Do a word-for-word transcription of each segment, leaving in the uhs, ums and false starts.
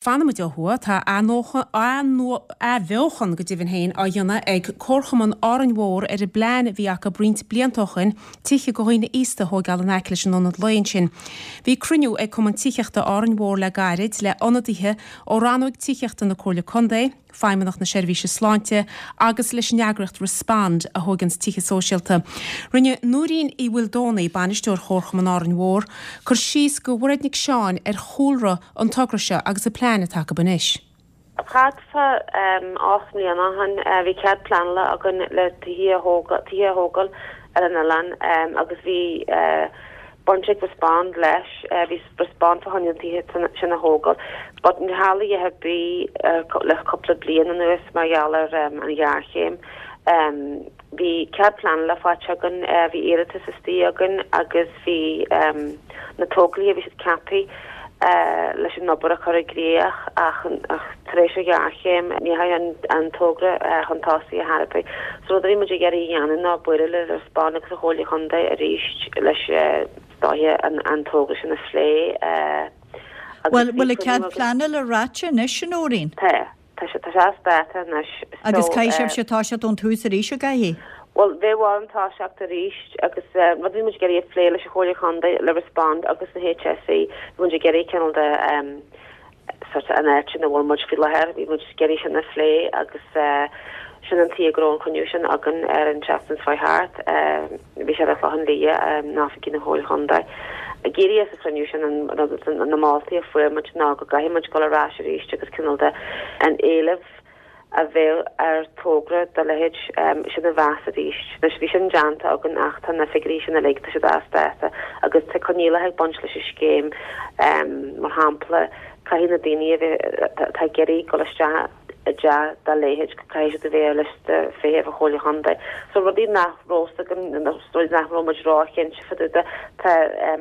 Fanfaimid ó thuaidh, tá athbheochan go deimhin féin á dhéanamh ag Comharchumann Árainn Mhór ar an bplean a bhí acu roinnt blianta ó shin tithe do dhaoine aosta a thóigeáil in aice leis an ionad lae ansin. Bhí cruinniú ag Cumann Tithíochta Árainn Mhór le gairid le ionadaithe ó rannóg tithíochta na Comhairle Contae, Feidhmeannacht na Seirbhíse Sláinte agus leis an eagraíocht Respond a thóganns tithe sóisialta. Rinne Nóirín Uí Mhaoldomhnaigh, bainisteoir Chomharchumann Árainn Mhór, cur síos do Mhairéad Nic Seáin ar chúlra an togra seo agus an plean atá acu anois. Thart fá ocht mbliana ó shin bhí cead pleanála againn le tithe a thógáil ar an oileán agus bhí baint ag Respond leis, bhí Respond fá choinne an tithe sin a thógáil. But níor tharla a dhath ar bith le cúpla bliain anuas mar gheall ar an ghéarchéim. Bhí cead pleanála faighte againn, bhí iarratas istigh againn agus bhí na tógálaithe, bhí siad ceaptha leis an obair a chur i gcrích ach tar éis an ghéarchéim ní dheachaigh an togra chun tosaigh ar chor ar bith. So rud a bhí muid ag iarraidh a dhéanamh ná bualadh le Respond agus an Chomhairle Chontae arís leis dóiche an togra sin a phlé. Bhfuil bhfuil an cead pleanála ráite anois a Nóirín? Tá. Tá sé tá sé as dáta anois. Agus caithfidh sibhse toiseacht ón tús arís an gcaithfidh? Bhuel, bheadh orainn toiseacht arís agus rud a bhí muid ag iarraidh a phlé leis an Chomhairle Chontae, le Respond agus na HSE, bhí muid ag iarraidh cineál de sort an áit ina bhfuil muid faoi láthair, bhí muid ag iarraidh sin a phlé agus sin an tuige go raibh an cruinniú sin againn ar an tseachtain seo thart. Bhí sé ar an Chlochán Liath in oifigí na Comhairle Chontae. Ag éirí as an chruinniú sin an na moltaí a fuair muid ná go gcaithfidh muid dul ar ais arís agus cineál de an éileamh a bheadh ar togra dá leithéid sin a mheas arís. Anois bhí sin déanta againn ach tá na figiúirí sin uilig, tá siad as dáta agus tá coinníollacha ag baint leis an scéim, mar shampla caithfidh na daoine a bheith atá ag iarraidh dul isteach i dteach dá leithéid, caithfidh siad a bheith ar liosta feithimh an Chomhairle Chontae. So rudaí nach raibh fhios againn, rudaí nach raibh muid róchinnte fá dtaobh de, tá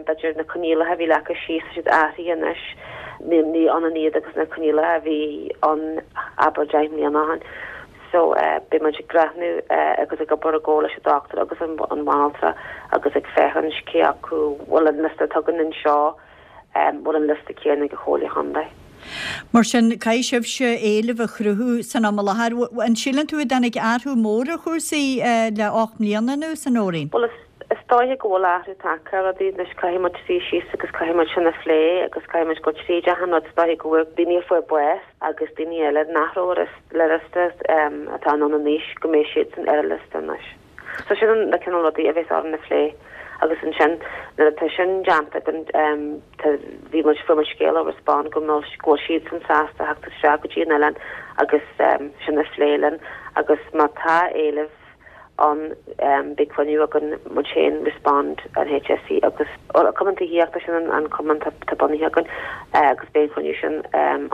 b'fhéidir na coinníollacha a bhí leagtha síos, tá siad athraithe anois, ní ní ionann iad agus na coinníollacha a bhí ann abair deich mbliana ó shin. So beidh muid ag breathnú agus ag obair i gcomhar leis an dochtúir agus an bhanaltra agus ag féachaint cé acu bhfuil an liosta atá againn anseo, bhfuil an liosta céanna ag an Chomhairle Chontae. Mar sin, caithfidh sibhse éileamh a chruthú san am i láthair. An síleann tú a dtáinig athrú mór ar chúrsaí le ocht mbliana anuas, a Nóirín? Bhuel, is dóiche go bhfuil athrú tagtha ar rudaí. Anois caithfidh muid suí síos agus caithfidh muid sin a phlé agus caithfidh muid dul tríd achan rud. Is dóiche go bhfuil daoine a fuair bás agus daoine eile nach raibh ar an liosta atá ann anois go mbeidh siadsan ar an liosta anois. So sin na cineál rudaí a bheas orainn a phlé agus ansin nuair atá sin déanta againn tá bhí muid fuair muid scéala ó Respond go mbeadh go bhfuil siadsan sásta theacht isteach go dtí an oileán agus sin a phlé linn agus má tá éileamh ann beidh cruinniú againn muid féin Respond an HSE agus Cumann Tithíochta sin an an cumann tá bunaithe againn agus beidh an cruinniú sin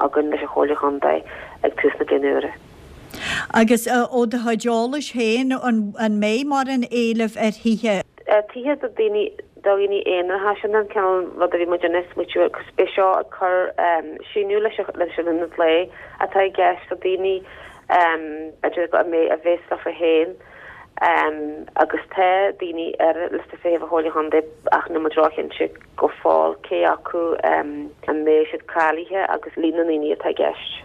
againn leis an Chomhairle Chontae ag tús na bliana úire. Agus ó do chuid eolais féin, an mbeidh mórán éilimh ar thithe? Tithe do dhaoine, do dhaoine aonaracha, sin an cineál rud a bhí muid ag smaoitiú agus beidh seo ag cur síneadh leis leis an ionad lae atá i gceist do daoine b'fhéidir go mbeidh a bheas leofa féin agus tá daoine ar liosta feithimh an Chomhairle Chontae ach níl muid róchinnte go fóill cé acu an mbeidh siad cáilithe agus líon na ndaoine atá i gceist.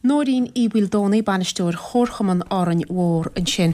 Nóirín Uí Mhaoldomhnaigh, Bainisteoir Chomharchumann Árainn Mhór ansin.